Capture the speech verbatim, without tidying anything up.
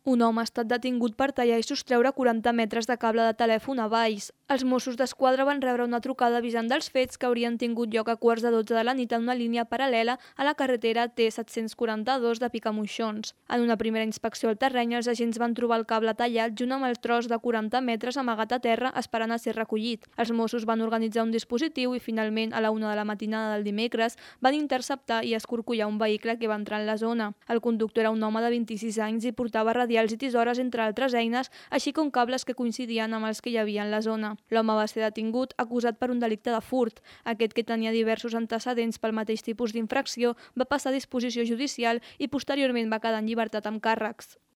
Un home ha estat detingut per tallar i sostreure quaranta metres de cable de telèfon a Valls. Els Mossos d'Esquadra van rebre una trucada avisant dels fets que haurien tingut lloc a quarts de dotze de la nit en una línia paral·lela a la carretera T set-cents quaranta-dos de Picamoixons. En una primera inspecció al terreny, els agents van trobar el cable tallat junt amb el tros de quaranta metres amagat a terra esperant a ser recollit. Els Mossos van organitzar un dispositiu i finalment, a la una de la matinada del dimecres, van interceptar i escorcollar un vehicle que va entrar en la zona. El conductor era un home de vint-i-sis anys i portava radials i tisores, entre altres eines, així com cables que coincidien amb els que hi havia en la zona. L'home va ser detingut, acusat per un delicte de furt. Aquest, que tenia diversos antecedents pel mateix tipus d'infracció, va passar a disposició judicial i posteriorment va quedar en llibertat amb càrrecs.